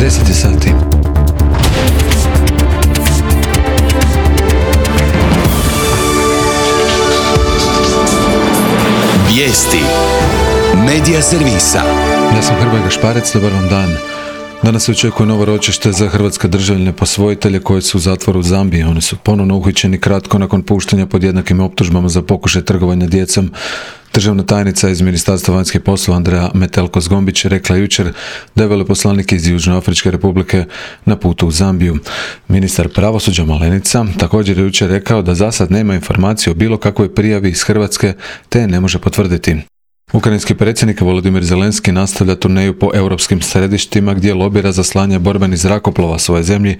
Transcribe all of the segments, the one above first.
10 sati. Vijesti Medija servisa. Ja sam Hrvoje Gašparec, dobar vam dan. Danas se očekuje novo ročište za hrvatske državljane posvojitelje koji su u zatvoru u Zambiji. Oni su ponovno uhićeni kratko nakon puštanja pod jednakim optužbama za pokušaj trgovanja djecom. Državna tajnica iz Ministarstva vanjskih poslova Andrea Metelko-Zgombić je rekla jučer da je veleposlanik iz Južnoafričke republike na putu u Zambiju. Ministar pravosuđa Malenica također je jučer rekao da zasad nema informacije o bilo kakvoj prijavi iz Hrvatske te je ne može potvrditi. Ukrajinski predsjednik Volodymyr Zelenski nastavlja turneju po europskim središtima gdje lobira za slanje borbenih zrakoplova svoje zemlji,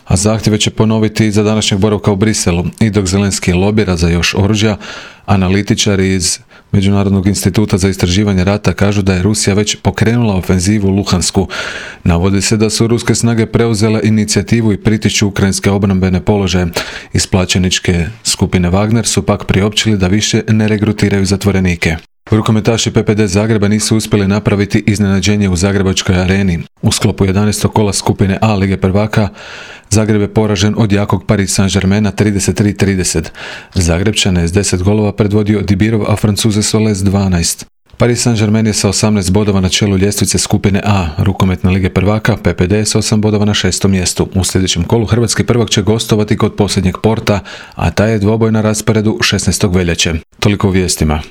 a zahtjeve će ponoviti za današnjeg boravka u Briselu. I dok Zelenski lobira za još oružja, analitičari iz Međunarodnog instituta za istraživanje rata kažu da je Rusija već pokrenula ofenzivu u Luhansku. Navodi se da su ruske snage preuzele inicijativu i pritišću ukrajinske obrambene položaje. Iz plaćeničke skupine Wagner su pak priopćili da više ne regrutiraju zatvorenike. Rukometaši PPD Zagreba nisu uspjeli napraviti iznenađenje u Zagrebačkoj areni. U sklopu 11. kola skupine A Lige prvaka Zagreb je poražen od jakog Paris Saint-Germaina 33-30. Zagrebčane je s 10 golova predvodio Dibirov, a Francuze Soles 12. Paris Saint-Germain je sa 18 bodova na čelu ljestvice skupine A rukometne Lige prvaka, PPD je sa 8 bodova na 6. mjestu. U sljedećem kolu hrvatski prvak će gostovati kod posljednjeg Porta, a taj je dvoboj na rasporedu 16. veljače. Toliko u vijestima.